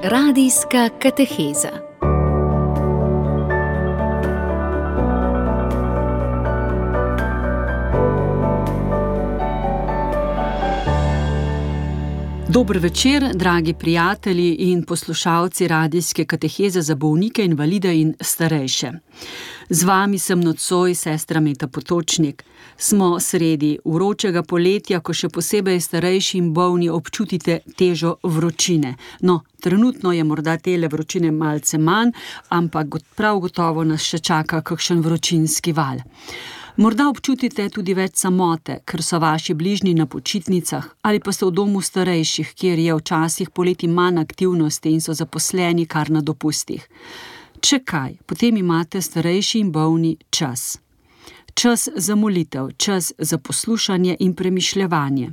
Radijska kateheza. Dober večer, dragi prijatelji in poslušalci radijske kateheze za bolnike, invalide in starejše. Z vami sem nocoj sestra Meta Potočnik. Smo sredi vročega poletja, ko še posebej starejši in bolni občutite težo vročine. No, trenutno je morda tele vročine malce manj, ampak prav gotovo nas še čaka kakšen vročinski val. Morda občutite tudi več samote, ker so vaši bližnji na počitnicah, ali pa ste v domu starejših, kjer je včasih poleti manj aktivnosti in so zaposleni kar na dopustih. Če kaj, potem imate starejši in bolni čas. Čas za molitev, čas za poslušanje in premišljevanje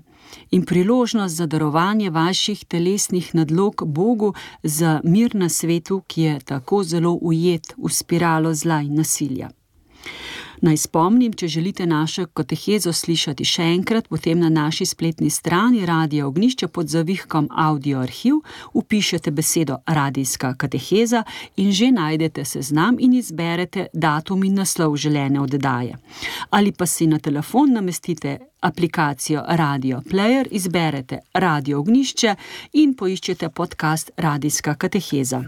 in priložnost za darovanje vaših telesnih nadlog Bogu za mir na svetu, ki je tako zelo ujet v spiralo zla in nasilja. Naj spomnim, če želite našo katehezo slišati še enkrat, potem na naši spletni strani Radia Ognjišče pod zavihkom Audio arhiv vpišete besedo Radijska kateheza in že najdete seznam in izberete datum in naslov želene oddaje. Ali pa si na telefon namestite aplikacijo Radio Player, izberete Radio Ognjišče in poiščete podcast Radijska kateheza.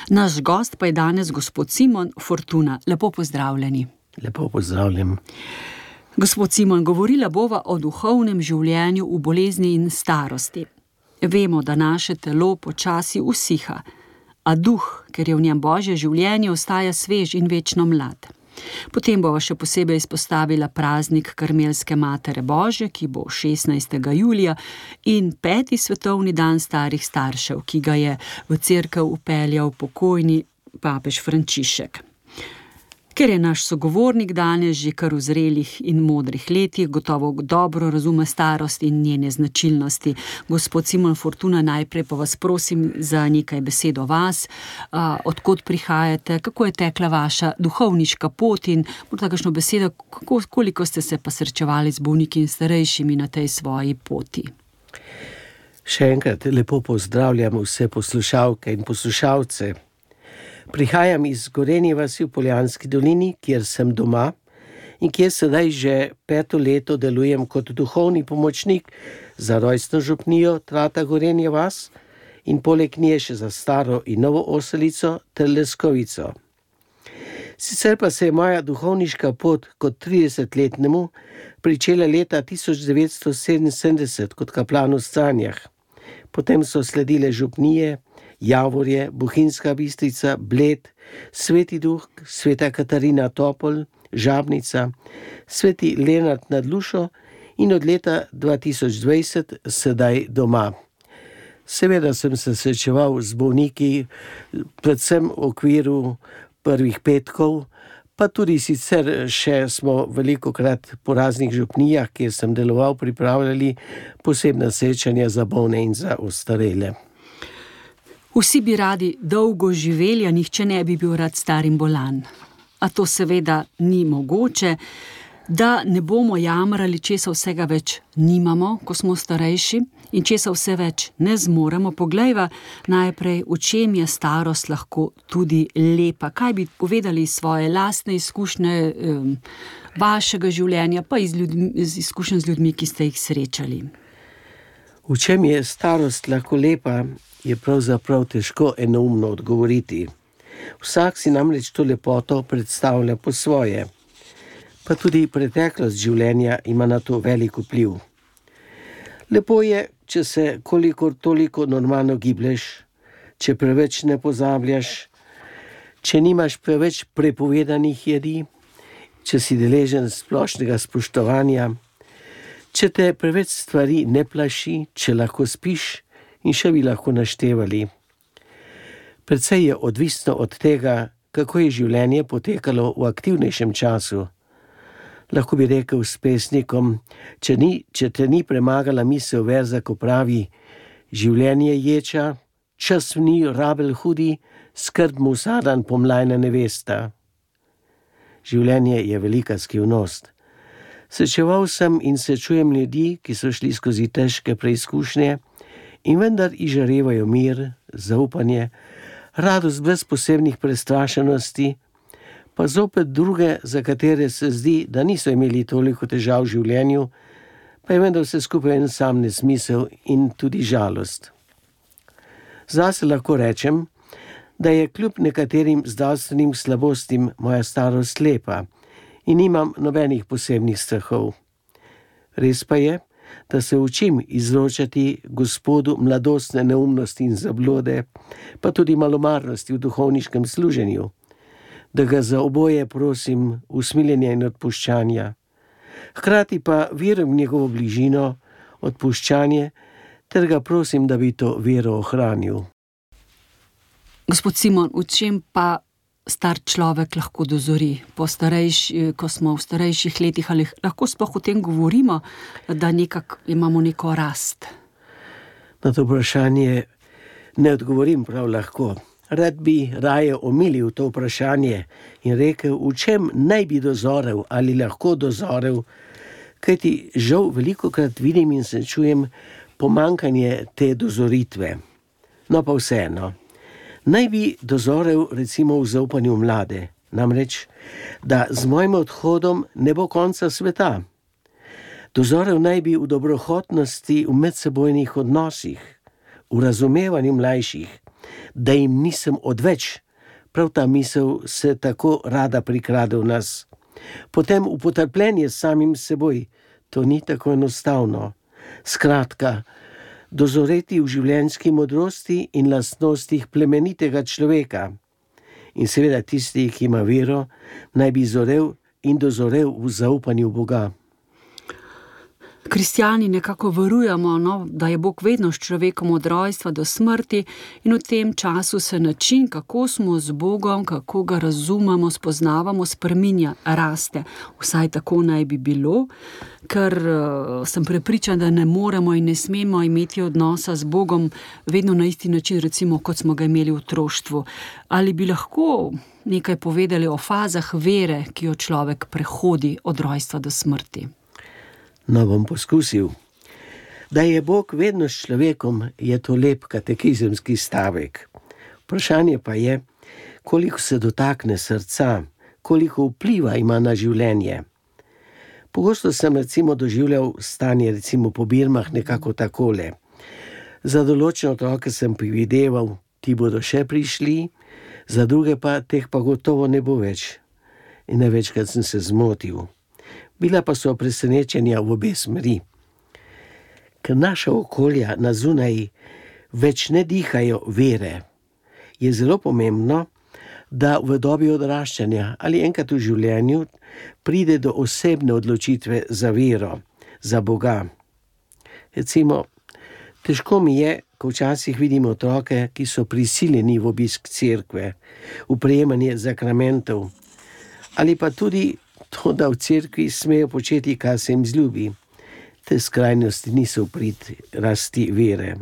Naš gost pa je danes gospod Simon Fortuna. Lepo pozdravljeni. Lepo pozdravljam. Gospod Simon, govorila bova o duhovnem življenju v bolezni in starosti. Vemo, da naše telo počasi usiha, a duh, ker je v njem Božje življenje, ostaja svež in večno mlad. Potem bova še posebej izpostavila praznik Karmelske Matere Božje, ki bo 16. julija, in 5. svetovni dan starih staršev, ki ga je v cerkev vpeljal pokojni papež Frančišek. Ker je naš sogovornik danes že kar v zrelih in modrih letih, gotovo dobro razume starost in njene značilnosti. Gospod Simon Fortuna, najprej pa vas prosim za nekaj besed o vas, odkot prihajate, kako je tekla vaša duhovniška pot in morda kakšno besedo, koliko ste se pa srečevali z bolniki in starejšimi na tej svoji poti. Še enkrat lepo pozdravljam vse poslušalke in poslušalce. Prihajam iz Gorenje vasi v Poljanski dolini, kjer sem doma in kjer sedaj že 5. leto delujem kot duhovni pomočnik za rojstno župnijo Trata Gorenje vas in poleg nje še za Staro in Novo Oselico ter Leskovico. Sicer pa se je moja duhovniška pot kot 30-letnemu pričela leta 1977 kot kaplan v Stranjah. Potem so sledile župnije Javorje, Bohinjska Bistrica, Bled, Sveti Duh, Sveta Katarina Topol, Žabnica, Sveti Lenart nad Lušo in od leta 2020 sedaj doma. Seveda sem se srečeval z bolniki, predvsem v okviru prvih petkov, pa tudi sicer še smo velikokrat po raznih župnijah, kjer sem deloval, pripravljali posebna srečanja za bolne in za ostarele. Vsi bi radi dolgo živeli, a nihče ne bi bil rad star in bolan. A to seveda ni mogoče, da ne bomo jamrali, česa vsega več nimamo, ko smo starejši, in česa vse več ne zmoremo. Poglejva najprej, v čem je starost lahko tudi lepa. Kaj bi povedali svoje lastne izkušnje vašega življenja, pa iz izkušenj z ljudmi, ki ste jih srečali? V čem je starost lahko lepa, je pravzaprav težko enoumno odgovoriti. Vsak si namreč to lepoto predstavlja po svoje. Pa tudi preteklost življenja ima na to velik vpliv. Lepo je, če se kolikor toliko normalno giblješ, če preveč ne pozabljaš, če nimaš preveč prepovedanih jedi, če si deležen splošnega spoštovanja, če te preveč stvari ne plaši, če lahko spiš in še bi lahko naštevali. Precej je odvisno od tega, kako je življenje potekalo v aktivnejšem času. Lahko bi rekel s pesnikom, če te ni premagala misel verza, ko pravi: življenje ječa, čas v njiju rabel hudi, skrb mu vsadan pomlajna nevesta. Življenje je velika skrivnost. Srečeval sem in srečujem ljudi, ki so šli skozi težke preizkušnje In vendar izžarevajo mir, zaupanje, radost brez posebnih prestrašenosti, pa zopet druge, za katere se zdi, da niso imeli toliko težav v življenju, pa je vendar vse skupaj en sam nesmisel in tudi žalost. Zase lahko rečem, da je kljub nekaterim zdravstvenim slabostim moja starost lepa in nimam nobenih posebnih strahov. Res pa je, da se učim izročati Gospodu mladostne neumnosti in zablode, pa tudi malomarnosti v duhovniškem služenju, da ga za oboje prosim usmiljenja in odpuščanja. Hkrati pa verujem v njegovo bližino, odpuščanje, ter ga prosim, da bi to vero ohranil. Gospod Simon, v čem pa star človek lahko dozori, ko smo v starejših letih, ali lahko sploh o tem govorimo, da nekako imamo neko rast? Na to vprašanje ne odgovorim prav lahko. Rad bi raje omilil to vprašanje in rekel, v čem naj bi dozorel ali lahko dozorel, kajti žal velikokrat vidim in se čujem pomanjkanje te dozoritve. No pa vseeno. Naj bi dozorel recimo v zaupanju mlade, namreč, da z mojim odhodom ne bo konca sveta. Dozorel naj bi v dobrohotnosti v medsebojnih odnosih, v razumevanju mlajših, da jim nisem odveč, prav ta misel se tako rada prikrade v nas. Potem v potrpljenje s samim seboj, to ni tako enostavno. Skratka, dozoreti v življenjski modrosti in lastnostih plemenitega človeka. In seveda tisti, ki ima vero, naj bi zorel in dozorel v zaupanju Boga. Kristjani nekako verujemo, da je Bog vedno s človekom od rojstva do smrti in v tem času se način, kako smo z Bogom, kako ga razumemo, spoznavamo, spreminja, raste. Vsaj tako naj bi bilo, ker sem prepričan, da ne moremo in ne smemo imeti odnosa z Bogom vedno na isti način, recimo kot smo ga imeli v otroštvu. Ali bi lahko nekaj povedali o fazah vere, ki jo človek prehodi od rojstva do smrti? No, bom poskusil. Da je Bog vedno s človekom, je to lep katekizemski stavek. Vprašanje pa je, koliko se dotakne srca, koliko vpliva ima na življenje. Pogosto sem recimo doživljal stanje po birmah nekako takole. Za določene otroke sem predvideval, ti bodo še prišli, za druge pa teh pa gotovo ne bo več. In največkrat sem se zmotil. Bila pa so presenečenja v obe smeri. Ker naša okolja na zunaj več ne dihajo vere, je zelo pomembno, da v dobi odraščanja ali enkrat v življenju pride do osebne odločitve za vero, za Boga. Recimo, težko mi je, ko včasih vidim otroke, ki so prisiljeni v obisk cerkve, v prejemanje zakramentov, ali pa tudi to, da v cerkvi smejo početi, kar se jim zljubi. Te skrajnosti niso v prid rasti vere.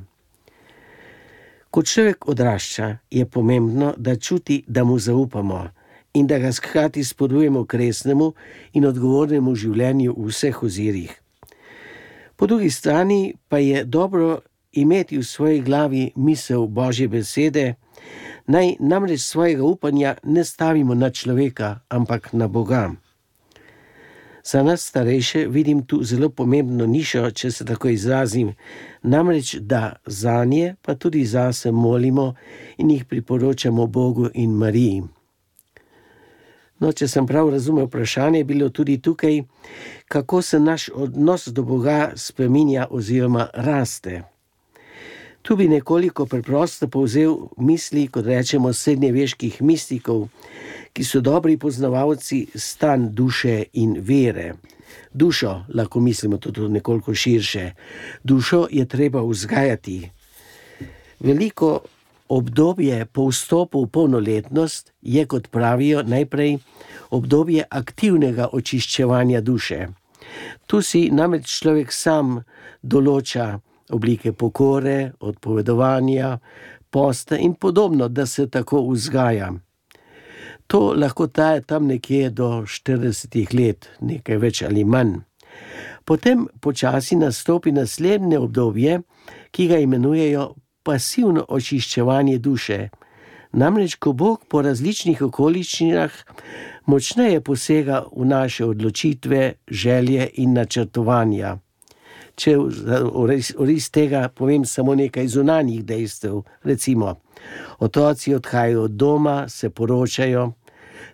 Ko človek odrašča, je pomembno, da čuti, da mu zaupamo in da ga hkrati spodbujamo k resnemu in odgovornemu življenju v vseh ozirih. Po drugi strani pa je dobro imeti v svoji glavi misel Božje besede, naj namreč svojega upanja ne stavimo na človeka, ampak na Boga. Za nas starejše vidim tu zelo pomembno nišo, če se tako izrazim, namreč da zanje pa tudi zase molimo in jih priporočamo Bogu in Mariji. No, če sem prav razumel vprašanje, je bilo tudi tukaj, kako se naš odnos do Boga spreminja oziroma raste. Tu bi nekoliko preprosto povzel misli, kot rečemo, srednjeveških mistikov, ki so dobri poznavalci stanj duše in vere. Dušo, lahko mislimo tudi nekoliko širše, dušo je treba vzgajati. Veliko obdobje po vstopu v polnoletnost je, kot pravijo, najprej obdobje aktivnega očiščevanja duše. Tu si namreč človek sam določa oblike pokore, odpovedovanja, posta in podobno, da se tako vzgaja. To lahko traja tam nekje do 40 let, nekaj več ali manj. Potem počasi nastopi naslednje obdobje, ki ga imenujejo pasivno očiščevanje duše. Namreč, ko Bog po različnih okoliščinah močneje posega v naše odločitve, želje in načrtovanja. Če oris tega povem samo nekaj zunanjih dejstev, recimo, otroci odhajajo od doma, se poročajo,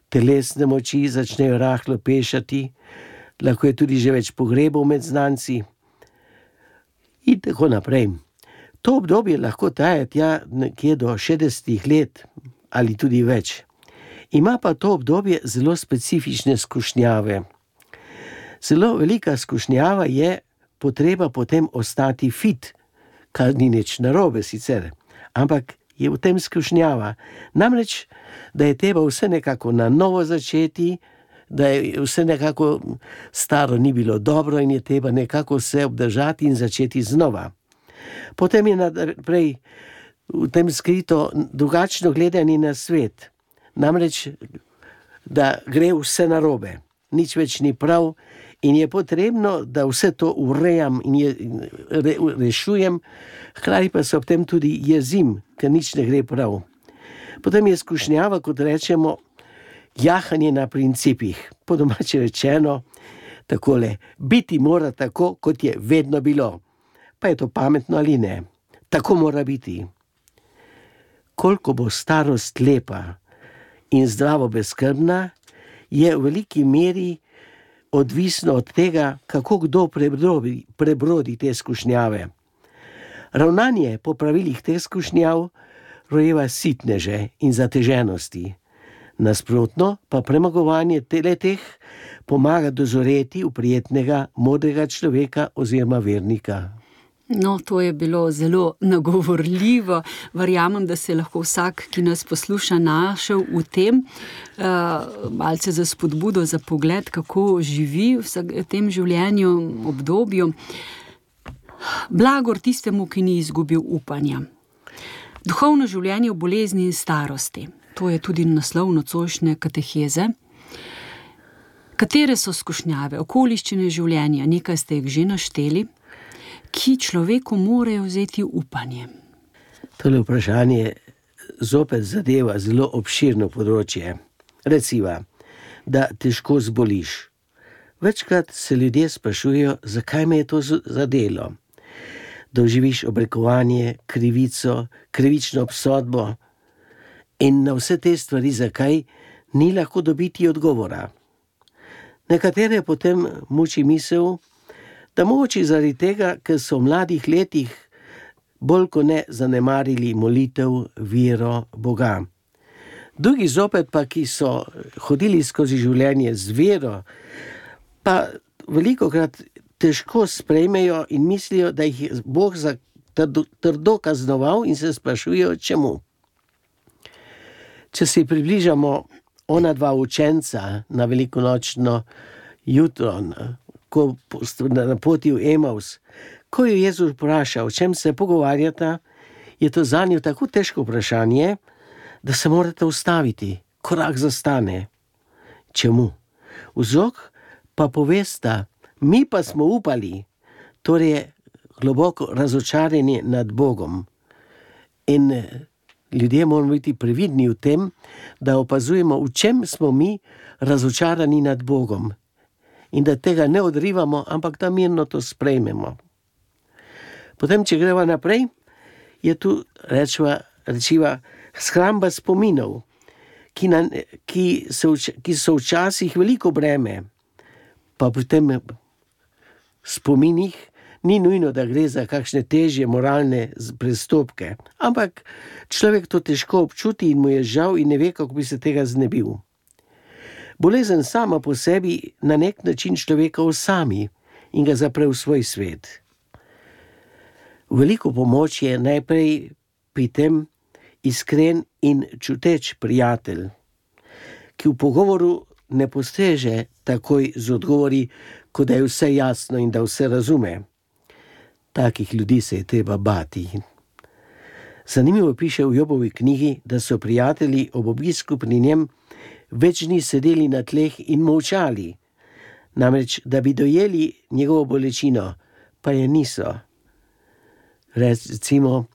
telesne moči začnejo rahlo pešati, lahko je tudi že več pogrebov med znanci in tako naprej. To obdobje lahko traja tja nekje do 60 let ali tudi več. Ima pa to obdobje zelo specifične skušnjave. Zelo velika skušnjava je potreba potem ostati fit, kar ni nič narobe sicer, ampak je v tem skušnjava. Namreč, da je treba vse nekako na novo začeti, da je vse nekako staro ni bilo dobro in je treba nekako se obdržati in začeti znova. Potem je naprej v tem skrito drugačno gledanje na svet. Namreč, da gre vse narobe, nič več ni prav in je potrebno, da vse to urejam in rešujem, hkrati pa se ob tem tudi jezim, ker nič ne gre prav. Potem je skušnjava, kot rečemo, jahanje na principih. Po domače rečeno, takole, biti mora tako, kot je vedno bilo. Pa je to pametno ali ne? Tako mora biti. Koliko bo starost lepa in zdravo brezskrbna, je v veliki meri odvisno od tega, kako kdo prebrodi te skušnjave. Ravnanje po pravilih teh skušnjav rojeva sitneže in zateženosti. Nasprotno pa premagovanje teh pomaga dozoreti v prijetnega, modrega človeka oziroma vernika. No, to je bilo zelo nagovorljivo. Verjamem, da se lahko vsak, ki nas posluša, našel v tem, malce za spodbudo, za pogled, kako živi v tem življenju, obdobju. Blagor tistemu, ki ni izgubil upanja. Duhovno življenje v bolezni in starosti. To je tudi naslov nocojšnje kateheze. Katere so skušnjave, okoliščine življenja, nekaj ste jih že našteli, ki človeku morajo vzeti upanje? Tole vprašanje zopet zadeva zelo obširno področje. Reciva, da težko zboliš. Večkrat se ljudje sprašujejo, zakaj me je to zadelo. Doživiš obrekovanje, krivico, krivično obsodbo in na vse te stvari, zakaj ni lahko dobiti odgovora. Nekatere potem muči misel, da mogoče zaradi tega, ker so v mladih letih bolj kot ne zanemarili molitev, vero, Boga. Drugi zopet pa, ki so hodili skozi življenje z vero, pa velikokrat težko sprejmejo in mislijo, da jih je Bog trdo kaznoval in se sprašujejo, čemu. Če si približamo ona dva učenca na velikonočno jutro, ko na poti v Emaus, ko je Jezus vprašal, o čem se pogovarjata, je to zanjo tako težko vprašanje, da se morate ustaviti, korak zastane. Čemu? Vzrok pa povesta, mi pa smo upali, torej globoko razočaranje nad Bogom. In ljudje moramo biti previdni v tem, da opazujemo, v čem smo mi razočarani nad Bogom. In da tega ne odrivamo, ampak da mirno to sprejmemo. Potem, če greva naprej, je tu rečiva shramba spominov, ki so včasih veliko breme, pa pri tem spominih ni nujno, da gre za kakšne težje moralne prestopke, ampak človek to težko občuti in mu je žal in ne ve, kako bi se tega znebil. Bolezen sama po sebi na nek način človeka osami in ga zapre v svoj svet. Veliko pomoč je najprej pri tem iskren in čuteč prijatelj, ki v pogovoru ne postreže takoj z odgovori, kot da je vse jasno in da vse razume. Takih ljudi se je treba bati. Zanimivo piše v Jobovi knjigi, da so prijatelji ob obisku pri njem več dni sedeli na tleh in molčali. namreč, da bi dojeli njegovo bolečino, pa je niso. Recimo,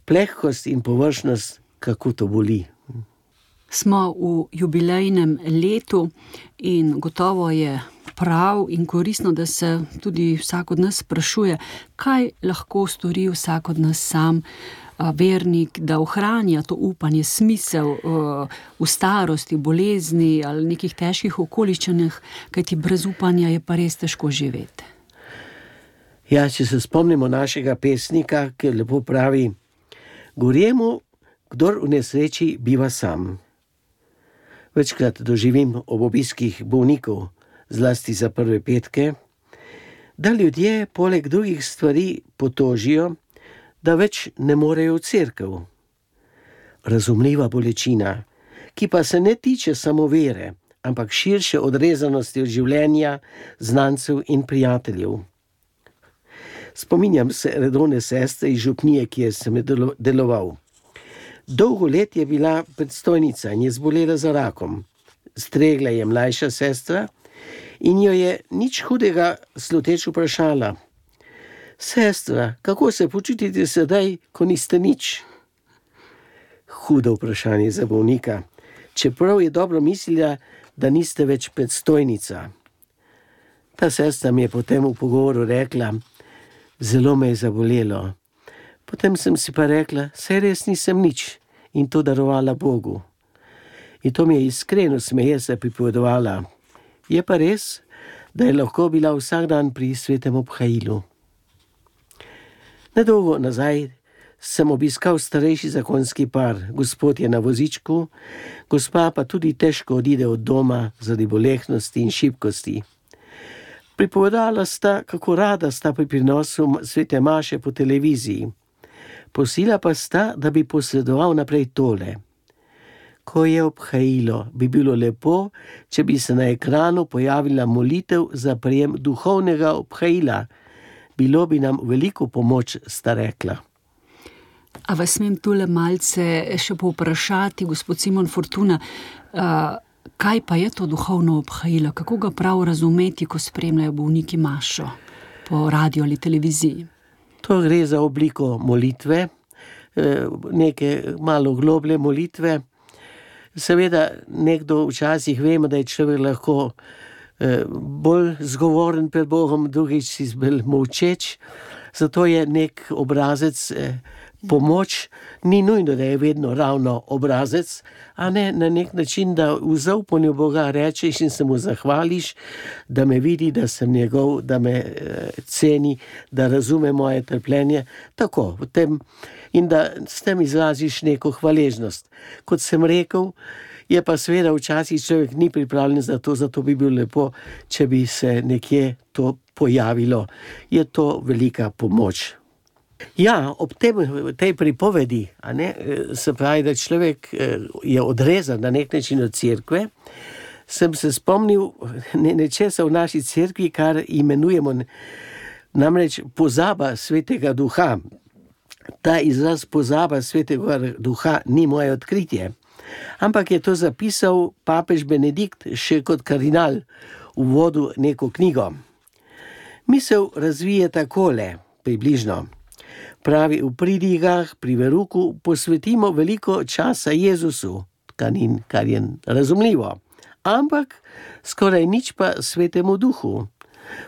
plehkost in površnost, kako to boli. Smo v jubilejnem letu in gotovo je prav in koristno, da se tudi vsak od nas sprašuje, kaj lahko stori vsak od nas sam, vernik, da ohranja to upanje, smisel v starosti, v bolezni ali nekih težkih okoliščinah, kajti brez upanja je pa res težko živeti. Ja, če se spomnimo našega pesnika, ki lepo pravi: gorjemu, kdor v nesreči biva sam. Večkrat doživim ob obiskih bolnikov, zlasti za prve petke, da ljudje poleg drugih stvari potožijo, da več ne morejo v cerkev. Razumljiva bolečina, ki pa se ne tiče samo vere, ampak širše odrezanosti od življenja, znancev in prijateljev. Spominjam se redovne sestre iz župnije, kjer sem deloval. Dolgo let je bila predstojnica in je zbolela za rakom. Stregla je mlajša sestra in jo je nič hudega sluteč vprašala: sestra, kako se počutite sedaj, ko niste nič? Hudo vprašanje za bolnika, čeprav je dobro mislila, da niste več predstojnica. Ta sestra mi je potem v pogovoru rekla: zelo me je zabolelo. Potem sem si pa rekla: saj res nisem nič, in to darovala Bogu. In to mi je iskreno smeje se pripovedovala. Je pa res, da je lahko bila vsak dan pri svetem obhajilu. Nedolgo nazaj sem obiskal starejši zakonski par. Gospod je na vozičku, gospa pa tudi težko odide od doma zaradi bolehnosti in šibkosti. Pripovedala sta, kako rada sta pri prinosu svete maše po televiziji. Prosila pa sta, da bi posredoval naprej tole: ko je obhajilo, bi bilo lepo, če bi se na ekranu pojavila molitev za prejem duhovnega obhajila. Bilo bi nam veliko pomoč, sta rekla. A vas smem tule malce še povprašati, gospod Simon Fortuna, kaj pa je to duhovno obhajilo? Kako ga prav razumeti, ko spremljajo bolniki mašo po radiju ali televiziji? To gre za obliko molitve, neke malo globlje molitve. Seveda, nekdo včasih vemo, da je človek lahko bolj zgovoren pred Bogom, drugič si bolj molčeč, zato je nek obrazec pomoč, ni nujno, da je vedno ravno obrazec, a ne na nek način, da v zaupanju Boga rečeš in se mu zahvališ, da me vidi, da sem njegov, da me ceni, da razume moje trpljenje, tako, v tem, in da s tem izraziš neko hvaležnost. Kot sem rekel, je pa seveda včasih človek ni pripravljen za to, zato bi bilo lepo, če bi se nekje to pojavilo. Je to velika pomoč. Ja, ob tej pripovedi, se pravi, da človek je odrezan na nek način od cerkve, sem se spomnil nečesa v naši cerkvi, kar imenujemo namreč pozaba svetega duha. Ta izraz pozaba svetega duha ni moje odkritje, ampak je to zapisal papež Benedikt še kot kardinal v uvodu neko knjigo. Misel razvije takole, približno. Pravi, v pridigah, pri veruku posvetimo veliko časa Jezusu, kar je razumljivo, ampak skoraj nič pa svetemu duhu.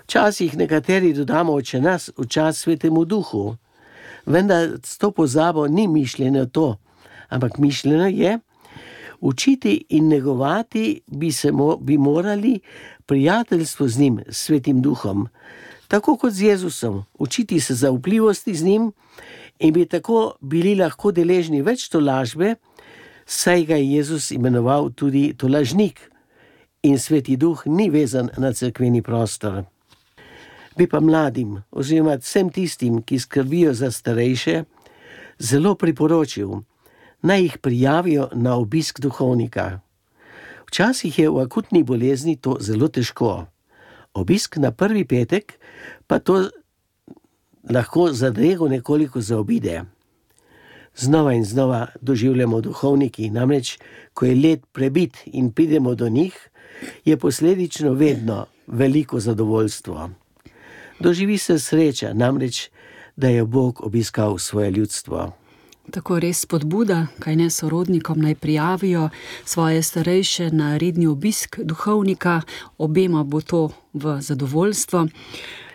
Včasih nekateri dodamo oče nas v čas svetemu duhu, vendar s to pozabo ni mišljeno to, ampak mišljeno je, učiti in negovati bi morali prijateljstvo z njim, svetim duhom, tako kot z Jezusom, učiti se zaupljivosti z njim in bi tako bili lahko deležni več tolažbe, saj ga je Jezus imenoval tudi tolažnik in sveti duh ni vezan na cerkveni prostor. Bi pa mladim, oziroma vsem tistim, ki skrbijo za starejše, zelo priporočil, naj jih prijavijo na obisk duhovnika. Včasih je v akutni bolezni to zelo težko. Obisk na prvi petek pa to lahko zadrego nekoliko zaobide. Znova in znova doživljamo duhovniki, namreč, ko je let prebit in pridemo do njih, je posledično vedno veliko zadovoljstvo. Doživi se sreča, namreč, da je Bog obiskal svoje ljudstvo. Tako res spodbuda, kaj ne sorodnikom naj prijavijo svoje starejše na redni obisk duhovnika, obema bo to v zadovoljstvo.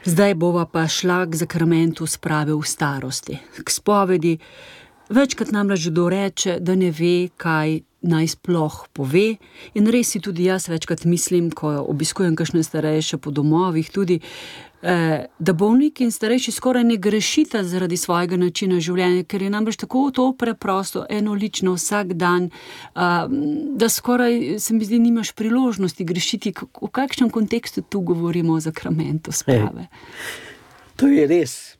Zdaj bova pa šla k zakramentu sprave v starosti, k spovedi. Večkrat namreč kdo reče, da ne ve, kaj naj sploh pove, in res si tudi jaz večkrat mislim, ko obiskujem kakšne starejše po domovih tudi, da bolniki in starejši skoraj ne grešita zaradi svojega načina življenja, ker je namreč tako to preprosto, enolično vsak dan, da skoraj, se mi zdi, nimaš priložnosti grešiti. V kakšnem kontekstu tu govorimo o zakramentu sprave? To je res.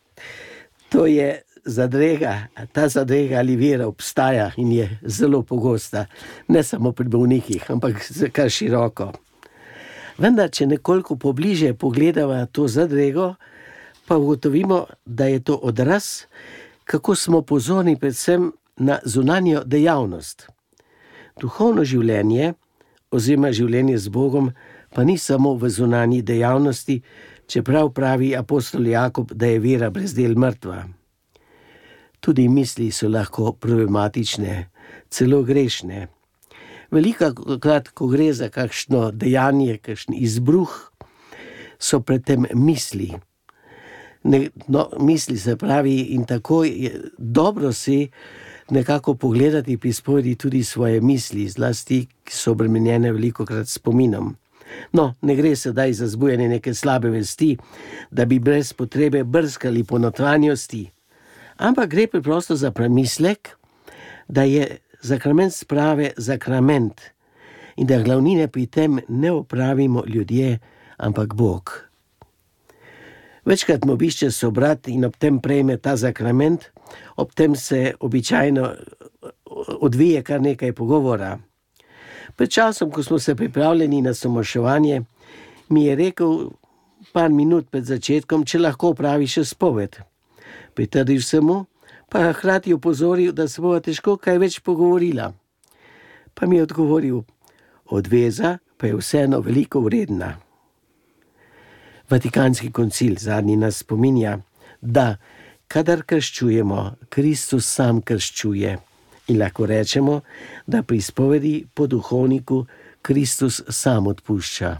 To je zadrega, ta zadrega ali vera obstaja in je zelo pogosta, ne samo pri bolnikih, ampak kar široko. Vendar, če nekoliko pobliže pogledava to zadrego, pa ugotovimo, da je to odraz, kako smo pozorni predvsem na zunanjo dejavnost. Duhovno življenje oziroma življenje z Bogom pa ni samo v zunanji dejavnosti, čeprav pravi apostol Jakob, da je vera brez del mrtva. Tudi misli so lahko problematične, celo grešne. Velikokrat, ko gre za kakšno dejanje, kakšen izbruh, so predtem misli. Misli se pravi, in tako je dobro si nekako pogledati pri spovedi tudi svoje misli, zlasti, ki so obremenjene velikokrat spominom. Ne gre sedaj za zbujanje neke slabe vesti, da bi brez potrebe brskali po notranjosti, ampak gre preprosto za premislek, da je zakrament sprave zakrament in da glavnine pri tem ne opravimo ljudje, ampak Bog. Večkrat me obišče sobrat in ob tem prejme ta zakrament, ob tem se običajno odvije kar nekaj pogovora. Pred časom, ko smo se pripravljeni na samoševanje, mi je rekel par minut pred začetkom, če lahko opravi še spoved. Pritrdil sem mu, pa hkrati opozoril, da se bova težko kaj več pogovorila. Pa mi je odgovoril, odveza pa je vseeno veliko vredna. Vatikanski koncil zadnji nas spominja, da kadar krščujemo, Kristus sam krščuje, in lahko rečemo, da pri spovedi po duhovniku Kristus sam odpušča.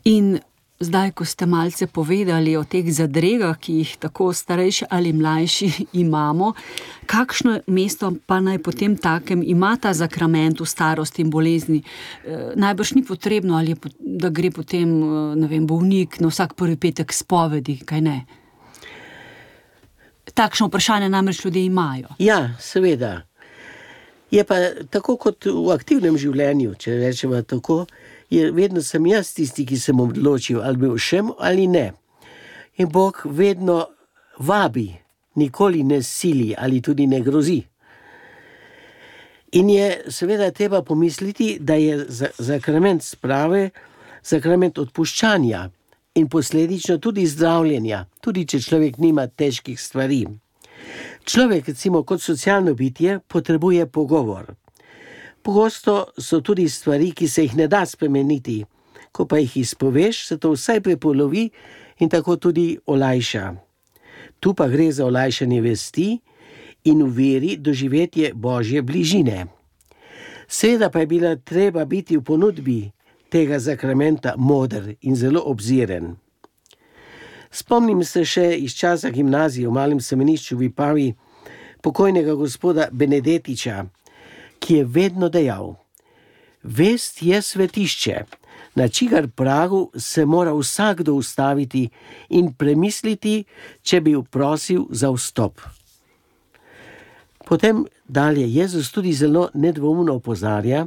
In zdaj, ko ste malce povedali o teh zadregah, ki jih tako starejši ali mlajši imamo, kakšno mesto pa naj potem takem ima ta zakrament v starosti in bolezni? Najbrž ni potrebno, ali da gre potem, bolnik na vsak prvi petek spovedi, kaj ne? Takšno vprašanje namreč ljudje imajo. Ja, seveda. Je pa tako kot v aktivnem življenju, če rečemo tako, vedno sem jaz tisti, ki sem odločil, ali bi všem ali ne. In Bog vedno vabi, nikoli ne sili ali tudi ne grozi. In je seveda treba pomisliti, da je zakrament sprave, zakrament odpuščanja in posledično tudi zdravljenja, tudi če človek nima težkih stvari. Človek, recimo kot socialno bitje, potrebuje pogovor. Pogosto so tudi stvari, ki se jih ne da spremeniti. Ko pa jih izpoveš, se to vsaj prepolovi in tako tudi olajša. Tu pa gre za olajšanje vesti in v veri doživetje Božje bližine. Seveda pa je bila treba biti v ponudbi tega zakramenta moder in zelo obziren. Spomnim se še iz časa gimnazije v malem semenišču v Vipavi pokojnega gospoda Benedetiča, ki je vedno dejal: vest je svetišče, na čigar pragu se mora vsakdo ustaviti in premisliti, če bi prosil za vstop. Potem dalje Jezus tudi zelo nedvoumno opozarja,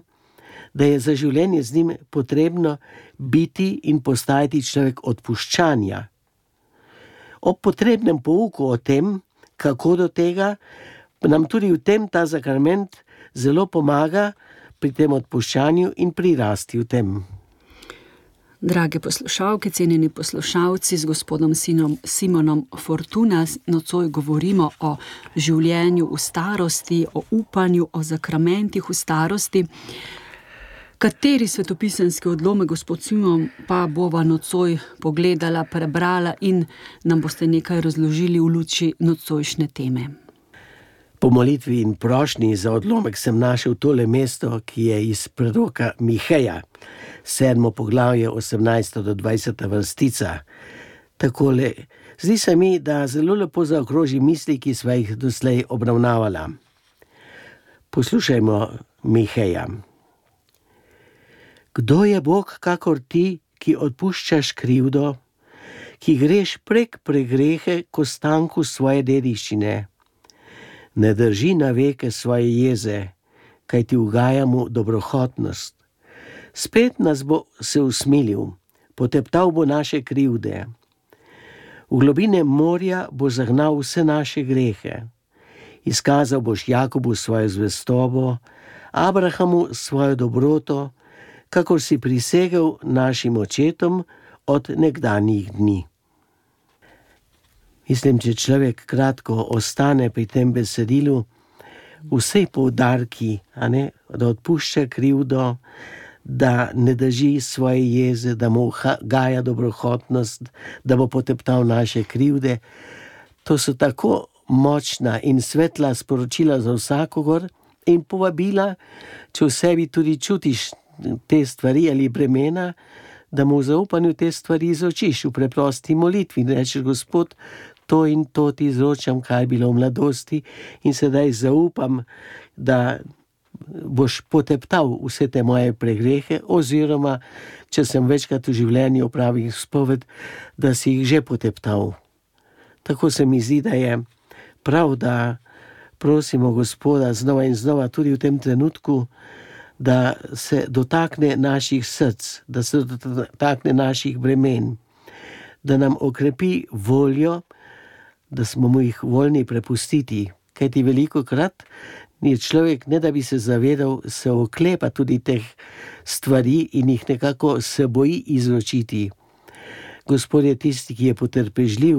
da je za življenje z njim potrebno biti in postajati človek odpuščanja. Ob potrebnem pouku o tem, kako do tega, nam tudi v tem ta zakrament zelo pomaga pri tem odpuščanju in pri rasti v tem. Drage poslušalke, cenjeni poslušalci, z gospodom Simonom Fortuna nocoj govorimo o življenju v starosti, o upanju, o zakramentih v starosti. Kateri svetopisemski odlomek, gospod Simon, pa bova nocoj pogledala, prebrala in nam boste nekaj razložili v luči nocojšnje teme? Po molitvi in prošnji za odlomek sem našel tole mesto, ki je iz proroka Miheja, 7. poglavje, 18. do 20. vrstica. Takole, zdi se mi, da zelo lepo zaokroži misli, ki sva jih doslej obravnavala. Poslušajmo Miheja. Kdo je Bog kakor ti, ki odpuščaš krivdo, ki greš prek pregrehe k ostanku svoje dediščine? Ne drži na veke svoje jeze, kaj ti ugaja mu dobrohotnost. Spet nas bo se usmilil, poteptal bo naše krivde. V globine morja bo zagnal vse naše grehe. Izkazal boš Jakobu svojo zvestobo, Abrahamu svojo dobroto, kakor si prisegel našim očetom od nekdanjih dni. Mislim, če človek kratko ostane pri tem besedilu, vsej poudarki, da odpušča krivdo, da ne drži svoje jeze, da mu gaja dobrohotnost, da bo poteptal naše krivde, to so tako močna in svetla sporočila za vsakogar in povabila, če v sebi tudi čutiš te stvari ali bremena, da mu v zaupanju te stvari izročiš v preprosti molitvi. Rečeš, Gospod, to in to ti izročam, kaj je bilo v mladosti in sedaj zaupam, da boš poteptal vse te moje pregrehe, oziroma, če sem večkrat v življenju opravil spoved, da si jih že poteptal. Tako se mi zdi, da je prav, da prosimo Gospoda znova in znova tudi v tem trenutku, da se dotakne naših src, da se dotakne naših bremen, da nam okrepi voljo, da smo mu jih voljni prepustiti. Kajti velikokrat je človek, ne da bi se zavedal, se oklepa tudi teh stvari in jih nekako se boji izročiti. Gospod je tisti, ki je potrpežljiv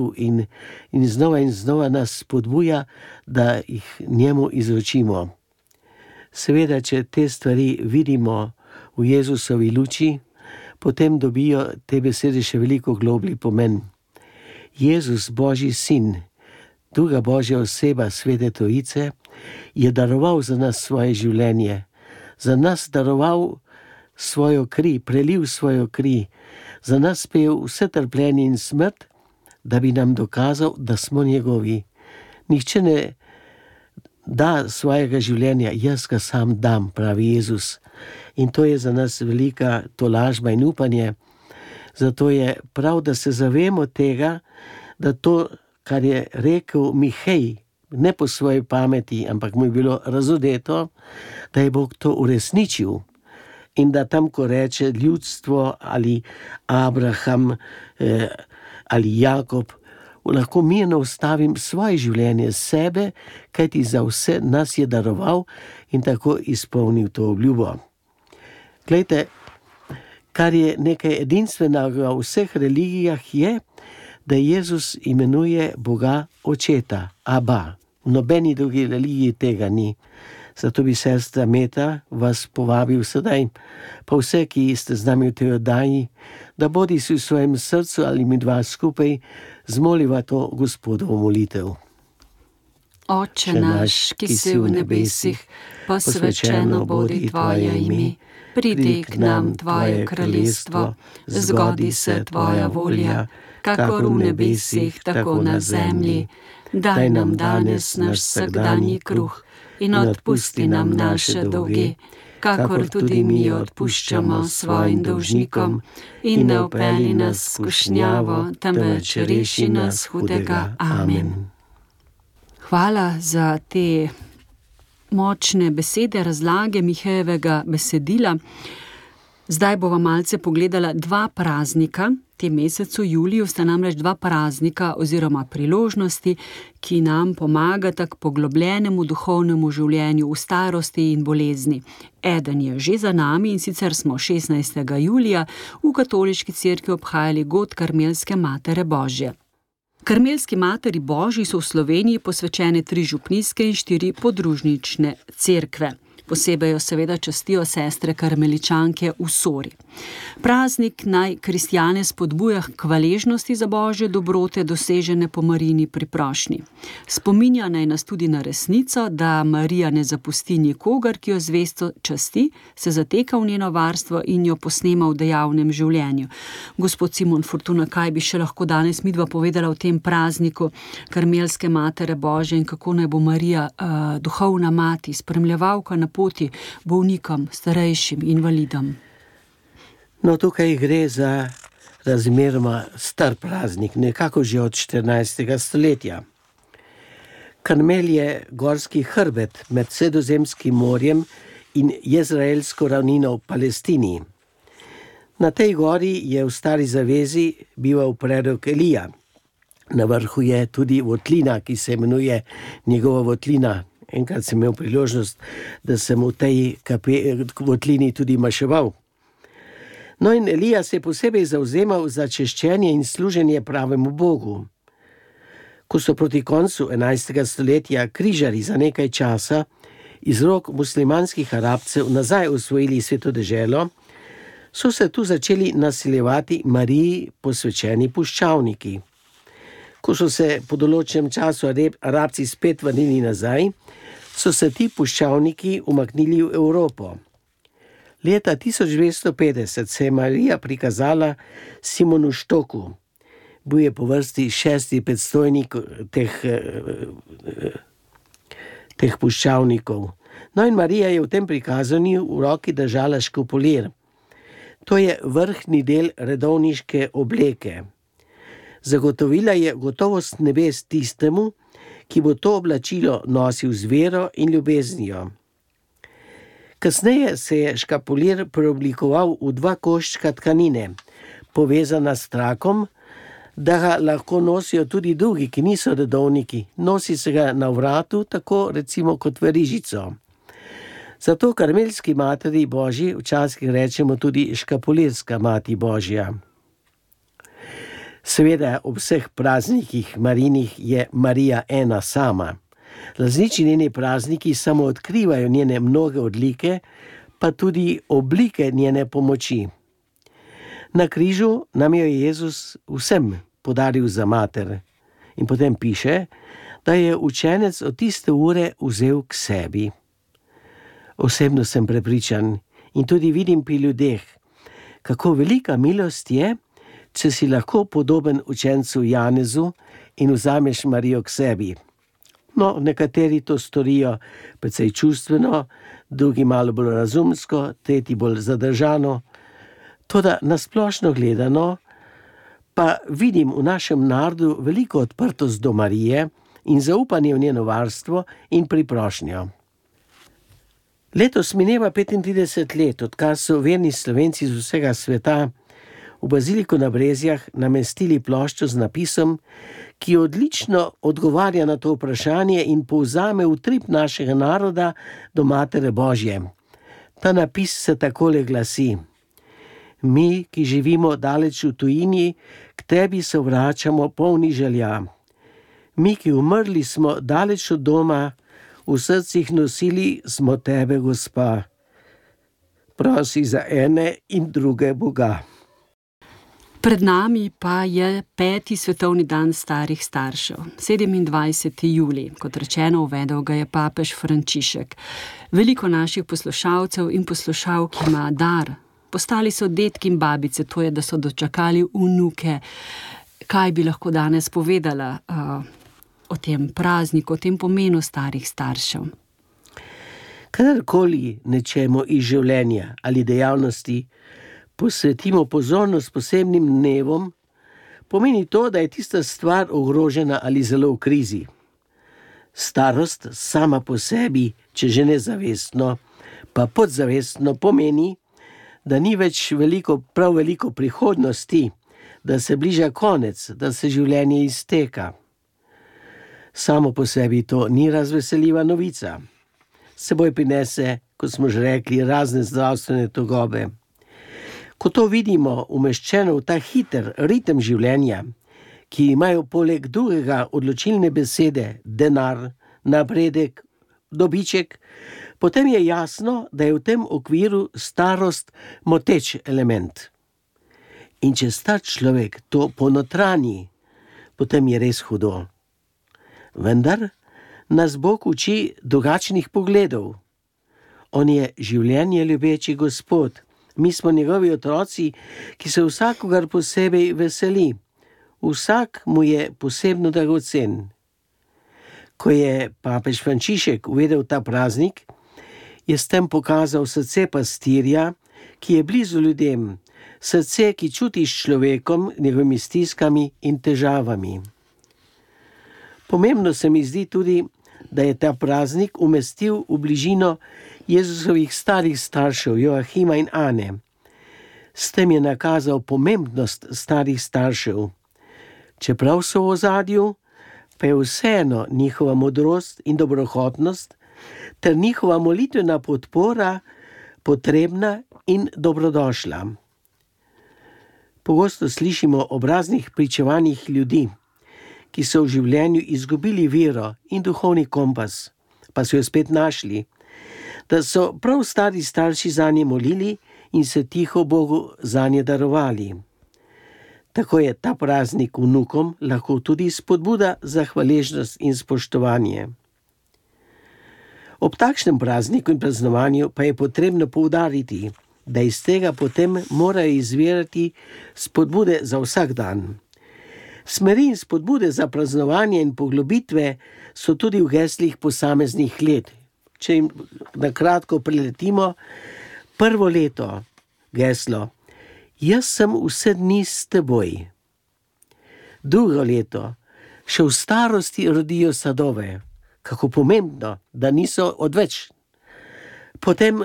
in znova nas spodbuja, da jih njemu izročimo. Seveda, če te stvari vidimo v Jezusovi luči, potem dobijo te besede še veliko globlji pomen. Jezus, Božji sin, druga Božja oseba Svete Trojice, je daroval za nas svoje življenje, za nas daroval svojo kri, prelil svojo kri, za nas spejel vse trpljenje in smrt, da bi nam dokazal, da smo njegovi. Nihče ne da svojega življenja, jaz ga sam dam, pravi Jezus. In to je za nas velika tolažba in upanje. Zato je prav, da se zavemo tega, da to, kar je rekel Mihej, ne po svoji pameti, ampak mu je bilo razodeto, da je Bog to uresničil. In da tam, ko reče ljudstvo ali Abraham ali Jakob, lahko mirno ustavim svoje življenje sebe, kajti za vse nas je daroval in tako izpolnil to obljubo. Glejte, kar je nekaj edinstvenega v vseh religijah je, da Jezus imenuje Boga Očeta, Aba. V nobeni drugi religiji tega ni. Zato bi sestra Meta vas povabil sedaj, pa vse, ki ste z nami v tej oddaji, da bodi si v svojem srcu ali mi dva skupaj zmoliva to Gospodovo molitev. Oče naš, ki si v nebesih, posvečeno bodi tvoje ime, pridi k nam tvoje kraljestvo, zgodi se tvoja volja, kakor v nebesih, tako na zemlji. Daj nam danes naš vsakdanji kruh in odpusti nam naše dolge, kakor tudi mi odpuščamo svojim dolžnikom, in ne vpelji nas v skušnjavo, temveč reši nas hudega. Amen. Hvala za te močne besede, razlage Mihejevega besedila. Zdaj bova malce pogledala dva praznika. V tem mesecu juliju sta namreč dva praznika oziroma priložnosti, ki nam pomagata k poglobljenemu duhovnemu življenju v starosti in bolezni. Eden je že za nami, in sicer smo 16. julija v katoliški cerkvi obhajali god Karmelske Matere Božje. Karmelski Materi Božji so v Sloveniji posvečene 3 župnijske in 4 podružnične cerkve. Posebej jo seveda častijo sestre karmeličanke v Sori. Praznik naj kristjane spodbuja k hvaležnosti za božje dobrote, dosežene po Marijini priprošnji. Spominja naj nas tudi na resnico, da Marija ne zapusti nikogar, ki jo zvesto časti, se zateka v njeno varstvo in jo posnema v dejavnem življenju. Gospod Simon Fortuna, kaj bi še lahko danes midva povedala o tem prazniku Karmelske Matere Božje in kako naj bo Marija duhovna mati, spremljevalka na poti bolnikom, starejšim, invalidom? No, tukaj gre za razmeroma star praznik, nekako že od 14. stoletja. Karmel je gorski hrbet med Sredozemskim morjem in Jezraelsko ravnino v Palestini. Na tej gori je v Stari zavezi bival prerok Elija. Na vrhu je tudi votlina, ki se imenuje njegova votlina. Enkrat sem imel priložnost, da sem v tej votlini tudi maševal. No in Elija se je posebej zavzemal za češčenje in služenje pravemu Bogu. Ko so proti koncu 11. stoletja križarji za nekaj časa iz rok muslimanskih Arabcev nazaj osvojili Sveto deželo, so se tu začeli nasiljevati Mariji posvečeni puščavniki. Ko so se po določenem času Arabci spet vrnili nazaj, so se ti puščavniki umaknili v Evropo. Leta 1250 se je Marija prikazala Simonu Štoku. Bil je po vrsti 6. predstojnik teh puščavnikov. No in Marija je v tem prikazanju v roki držala škopolir. To je vrhnji del redovniške obleke. Zagotovila je gotovost nebes tistemu, ki bo to oblačilo nosil z vero in ljubeznijo. Kasneje se je škapolir preoblikoval v 2 koščka tkanine, povezana s trakom, da ga lahko nosijo tudi drugi, ki niso redovniki. Nosi se ga na vratu, tako recimo kot verižico. Zato Karmelski Materi Božji včasih rečemo tudi škapolirska Mati Božja. Seveda ob vseh praznikih Marijinih je Marija ena sama. Različni njeni prazniki samo odkrivajo njene mnoge odlike, pa tudi oblike njene pomoči. Na križu nam jo je Jezus vsem podaril za mater. In potem piše, da je učenec od tiste ure vzel k sebi. Osebno sem prepričan in tudi vidim pri ljudeh, kako velika milost je, če si lahko podoben učencu Janezu in vzameš Marijo k sebi. No, nekateri to storijo precej čustveno, drugi malo bolj razumsko, tretji bolj zadržano. Toda nasplošno gledano pa vidim v našem narodu veliko odprtost do Marije in zaupanje v njeno varstvo in priprošnjo. Letos mineva 35 let, odkar so verni Slovenci z vsega sveta v Baziliko na Brezjah namestili ploščo z napisom, ki odlično odgovarja na to vprašanje in povzame utrip našega naroda do Matere Božje. Ta napis se takole glasi: Mi, ki živimo daleč v tujini, k tebi se vračamo polni želja. Mi, ki umrli smo daleč od doma, v srcih nosili smo tebe, Gospa. Prosi za ene in druge Boga. Pred nami pa je 5. svetovni dan starih staršev, 27. julij. Kot rečeno, uvedel ga je papež Frančišek. Veliko naših poslušalcev in poslušalk ima dar. Postali so dedki in babice, to je, da so dočakali vnuke. Kaj bi lahko danes povedala o tem prazniku, o tem pomenu starih staršev? Kadarkoli nečemu iz življenja ali dejavnosti posvetimo pozornost posebnim dnevom, pomeni to, da je tista stvar ogrožena ali zelo v krizi. Starost sama po sebi, če že nezavestno, pa podzavestno pomeni, da ni več prav veliko prihodnosti, da se bliža konec, da se življenje izteka. Samo po sebi to ni razveseljiva novica. Seboj prinese, kot smo že rekli, razne zdravstvene tegobe. Ko to vidimo umeščeno v ta hiter ritem življenja, ki imajo poleg drugega odločilne besede denar, napredek, dobiček, potem je jasno, da je v tem okviru starost moteč element. In če star človek to ponotranji, potem je res hudo. Vendar nas Bog uči drugačnih pogledov. On je življenje ljubeči Gospod. Mi smo njegovi otroci, ki se vsakogar posebej veseli. Vsak mu je posebno dragocen. Ko je papež Frančišek uvedel ta praznik, je s tem pokazal srce pastirja, ki je blizu ljudem, srce, ki čuti s človekom, njegovimi stiskami in težavami. Pomembno se mi zdi tudi, da je ta praznik umestil v bližino Jezusovih starih staršev, Joachima in Ane. S tem je nakazal pomembnost starih staršev. Čeprav so v ozadju, pa je vseeno njihova modrost in dobrohotnost ter njihova molitvena podpora potrebna in dobrodošla. Pogosto slišimo o raznih pričevanjih ljudi, ki so v življenju izgubili vero in duhovni kompas, pa so jo spet našli, da so prav stari starši zanje molili in se tiho Bogu zanje darovali. Tako je ta praznik vnukom lahko tudi spodbuda za hvaležnost in spoštovanje. Ob takšnem prazniku in praznovanju pa je potrebno poudariti, da iz tega potem morajo izvirati spodbude za vsak dan. Smeri in spodbude za praznovanje in poglobitve so tudi v geslih posameznih let. Če jim na kratko preletimo, prvo leto geslo: Jaz sem vse dni s teboj. Drugo leto: Še v starosti rodijo sadove. Kako pomembno, da niso odveč. Potem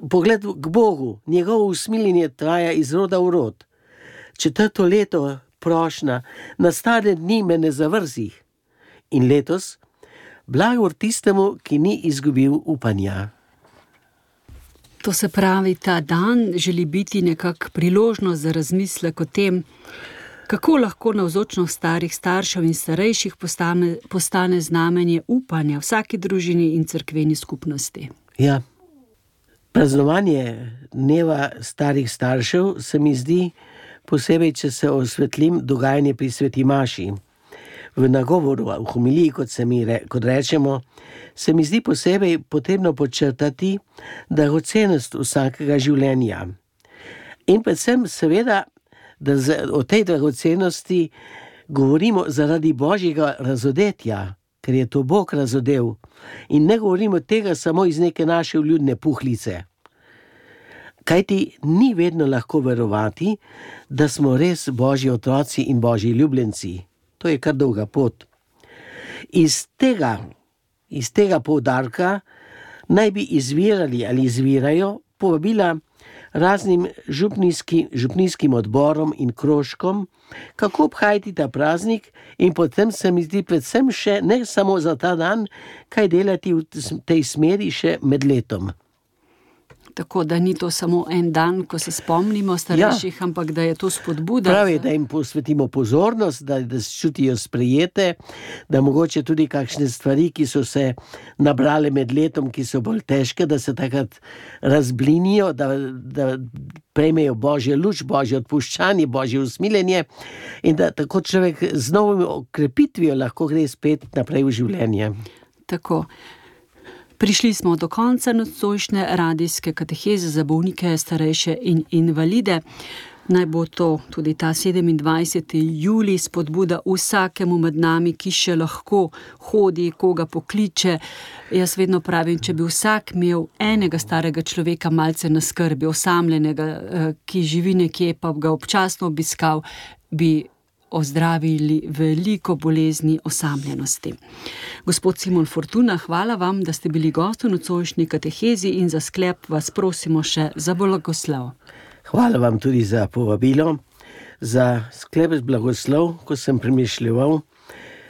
pogled k Bogu, njegovo usmiljenje traja iz roda v rod. Četrto leto prošnja: Na stare dni me ne zavrzi. In letos: Blagor tistemu, ki ni izgubil upanja. To se pravi, ta dan želi biti nekak priložnost za razmislek o tem, kako lahko navzočnost starih staršev in starejših postane znamenje upanja vsaki družini in cerkveni skupnosti. Ja, praznovanje dneva starih staršev se mi zdi, posebej, če se osvetlim dogajanje pri sveti maši. V nagovoru, v homiliji, kot rečemo, se mi zdi posebej potrebno podčrtati dragocenost vsakega življenja. In predvsem seveda, da o tej dragocenosti govorimo zaradi Božjega razodetja, ker je to Bog razodel. In ne govorimo tega samo iz neke naše vljudne puhlice. Kajti ni vedno lahko verovati, da smo res Božji otroci in Božji ljubljenci. To je kar dolga pot. Iz tega poudarka naj bi izvirali ali izvirajo povabila raznim župnijskim odborom in krožkom, kako obhajati ta praznik, in potem se mi zdi predvsem še ne samo za ta dan, kaj delati v tej smeri še med letom. Tako da ni to samo en dan, ko se spomnimo starejših, ampak da je to spodbuda. Pravi, da jim posvetimo pozornost, da se čutijo sprejete, da mogoče tudi kakšne stvari, ki so se nabrale med letom, ki so bolj težke, da se takrat razblinijo, da prejmejo Božjo luč, Božje odpuščanje, Božje usmiljenje in da tako človek z novim okrepitvijo lahko gre spet naprej v življenje. Tako. Prišli smo do konca nocojšnje radijske kateheze za bolnike, starejše in invalide. Naj bo to tudi ta 27. julij spodbuda vsakemu med nami, ki še lahko hodi, koga pokliče. Jaz vedno pravim, če bi vsak imel enega starega človeka malce na skrbi, osamljenega, ki živi nekje, pa ga občasno obiskal, bi ozdravili veliko bolezni osamljenosti. Gospod Simon Fortuna, hvala vam, da ste bili gost v nocojšnji katehezi, in za sklep vas prosimo še za blagoslov. Hvala vam tudi za povabilo. Za sklep z blagoslov, ko sem premišljeval,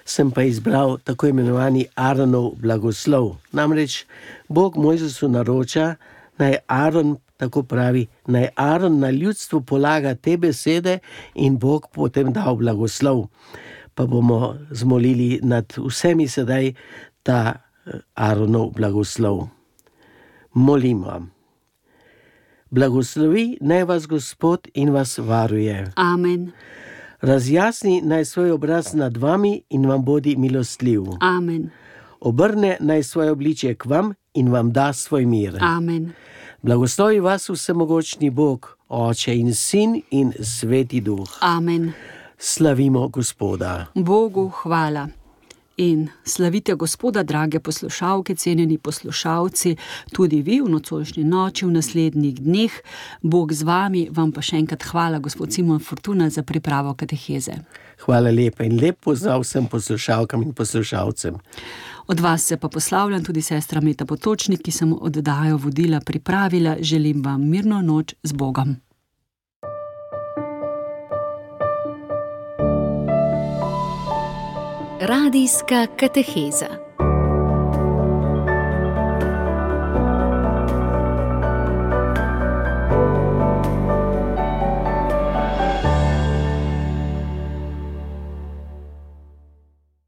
sem pa izbral tako imenovani Aaronov blagoslov. Namreč Bog Mojzesu naroča, naj Aaron, tako pravi, naj Aaron na ljudstvu polaga te besede, in Bog potem dal blagoslov. Pa bomo zmolili nad vsemi sedaj ta Aaronov blagoslov. Molimo. Blagoslovi naj vas Gospod in vas varuje. Amen. Razjasni naj svoj obraz nad vami in vam bodi milostljiv. Amen. Obrne naj svoje obličje k vam in vam da svoj mir. Amen. Blagoslovi vas vsemogočni Bog, Oče in Sin in Sveti Duh. Amen. Slavimo Gospoda. Bogu hvala. In slavite Gospoda, drage poslušalke, cenjeni poslušalci, tudi vi v nocojšnji noči, v naslednjih dneh. Bog z vami, vam pa še enkrat hvala, gospod Simon Fortuna, za pripravo kateheze. Hvala lepa in lep pozdrav vsem poslušalkam in poslušalcem. Od vas se pa poslavljam tudi sestra Meta Potočnik, ki sem oddajo vodila, pripravila. Želim vam mirno noč z Bogom. Radijska kateheza.